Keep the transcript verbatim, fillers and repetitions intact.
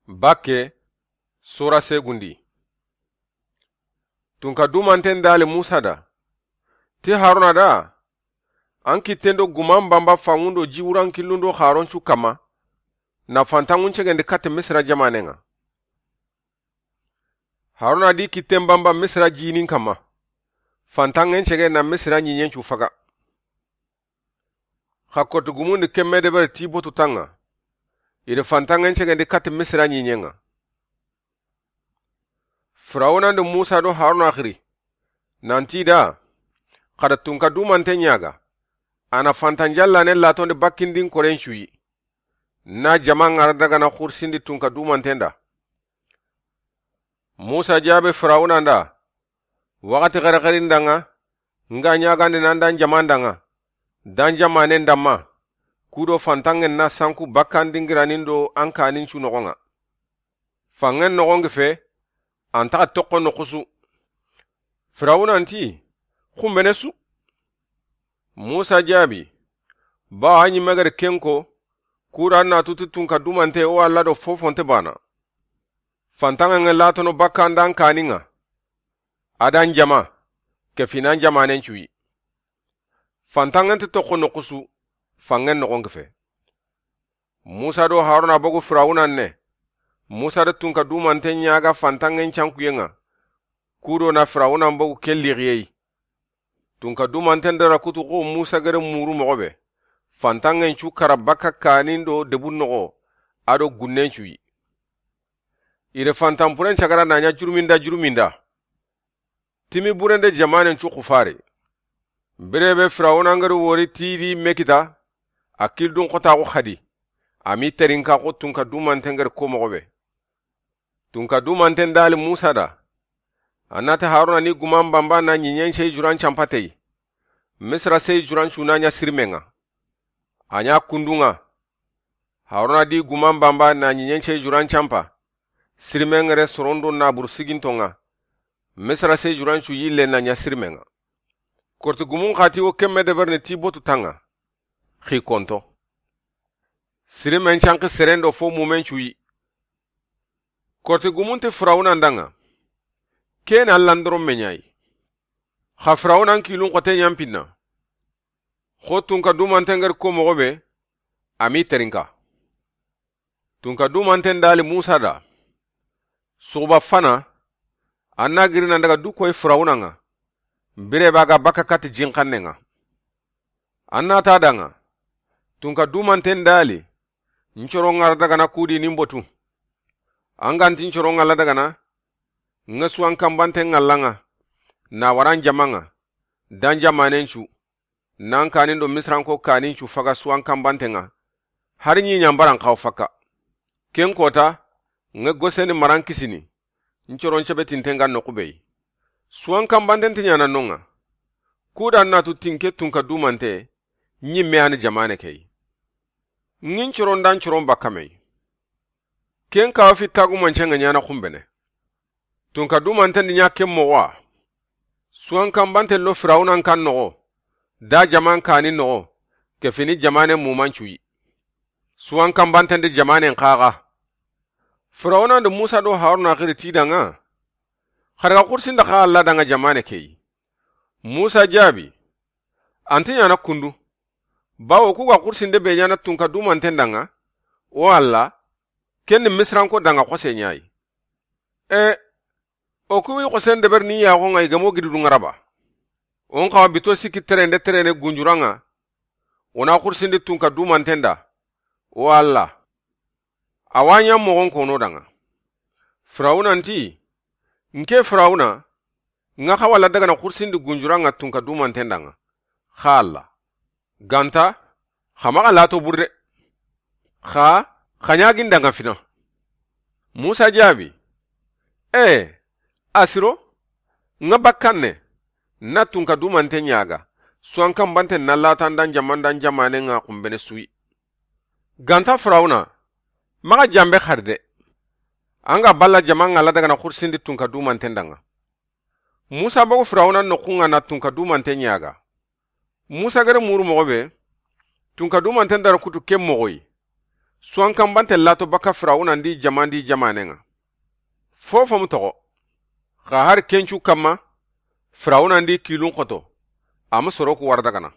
Bakke, sura segundi. Tunka dumanten dali Musa da. Ti Haruna da, an kitten do guman bamba fanŋun do jiwuran killun do xaron cu kamma, na fantanŋun cegendi katti Misira jamanen ŋa. Haruna di kitten bamba Misira jinin kamma, fantanŋen cege na Misira ɲiɲen cu faga. Xa korti gumundi kemme debere ti botu tanŋa, i di fantanŋen cegendi katti Misira ɲiɲen ŋa. Firawuna ndi Musa do Haruna xiri, nanti da, xa da tunka dumante ɲaga, a na fantan jallane latondi bakkindin koren cuyi, na jama ŋara dagana xursindi tunka dumanten da. Musa jaabe Firawuna nda, waxati xerexerin danŋa, nga ɲagandi nan dan jaman danŋa, dan jamanen damma, kudo fantanŋen na sanku bakkan dingiranin do an kanin cu noxon ŋa. Fanŋen noxon gi fe, an taxa toxo noxusu. Firawuna nti, xumbene su. Musa jaabi, ba a ɲi megeri kenko, kuda na tuti tunka dumante o Alla do fofonte bana. Fantanŋen ŋa latono bakkan dan kanin ŋa, a dan jama, ke finan jamanen cuyi. Fantanŋen ti toxo noxusu, fanŋen noxon gi fe. Musa do Haruna bogu Firawuna ne, Musa da tunka dumanten ɲaga fantanŋen cankuyen ŋa, kudo na Firawuna bogu ke lixiyei. Tunka dumanten dara kutu xo Musa gere muru moxo be, fantanŋen cu kara bakka kanin do debun noxo, a do gunnen cuyi. I di fantanpuren cagara na ɲa juruminda juruminda. Timi burende jamanen cu xufari. Birebe Firawuna ngari wori tidi mekita, a kildun xotaxu xadi, a mi terinka xo tunka dumanten ngari ko moxo be. Tunka dumanten dali Musa da, a nati Haruna ni guman bamba na ɲiɲen sey juran campatey, Misira sey juran cu na ɲa sirimen ŋa. A ɲa kundun ŋa, Haruna di guman bamba na ɲiɲen sey juran campa, sirimen ŋere sorondo na buru siginton ŋa, Misira sey juran cu yille na ɲa sirimen ŋa. Korti gumun xati wo kemme deberni ti botu tanŋa, xi konto. Sirimen canki serendo fo mumen cuyi. Korti gumun ti Firawuna ndanŋa, ke na Alla ndoron me ɲayi. Xa Firawuna n kilun xote ɲampinna. Xo tunka dumanten ngari ko moxo be, a mi terinka. Tunka dumanten dali Musa da, suxuba fana, a na giri nan daga du koy Firawuna ŋa, birebe a ga bakka katti jinxannen ŋa. A na ta danŋa, tunka dumanten dali, n coro ŋara dagana kudi nin botu. An ganti n coro ŋalla dagana, ŋa suwan kanbanten ŋalla ŋa, na waran jama ŋa, dan jamanen cu, nan kanin do Misiranko kanin cu faga suwan kanbanten ŋa, hari ɲi ɲambaran xaw fakka. Ken kota, ŋa Goseni maran kisini, n coron cebetinte nga noxu be yi. Suwan kanbanten ti ɲana non ŋa, kudan na tu tinke tunka dumante, ɲimme ani jamane ke yi. Ŋin coron dan coron bakka me yi. Ken kawa fi tagumancen ŋa ɲana xumbene. Tunka dumanten di ɲa ken moxo wa. Suwan kanbanten lo Firawunan kan noxo, da jaman kanin noxo, ke fini jamanen muman cuyi. Suwan kanbanten di jamanen xaxa. Firawunan di Musa do Haruna xiri ti danŋa, xa daga xursinde xa Alla danŋa jamane ke yi. Musa jaabi, anti ɲana kundu. Bawo ku ga xursinde be ɲana tunka dumanten danŋa, o Alla, ken ni Misiranko danŋa xose ɲa yi. E, o ku wi xosen deber ni yaxon ŋa i gamo gididun ŋa raba. On xawa bito sikki terende terene gunjuran ŋa, o na xursindi tunka dumanten da, o Alla. A wa ɲa moxon kono danŋa. Firawuna nti, nke Firawuna, ŋa xa wala dagana xursindi gunjuran ŋa tunka dumanten danŋa. Xa Alla. Ganta, xa maxa lato burde. Xa, xa ɲagin danŋa fina. Musa jaabi, e, asiro, ŋa bakkanne, na tunka dumanten ɲaga, suwan kanbanten na latan dan jaman dan jamanen ŋa xumbene suyi. Ganta Firawuna, maxa jambe xari de. An ga balla jaman ŋa la dagana xursindi tunka dumanten danŋa. Musa bogu Firawuna noxun ŋa na tunka dumanten ɲaga. Musa gere muru moxo be, tunka dumanten dara kutu ken moxo yi. Suwankanbante lato baka Firawuna ndi jama ndi jamanen ŋa. Fofo mu toxo. Xa hari kencu kamma, Firawuna ndi kilun xoto, a ma soro ku wara dagana.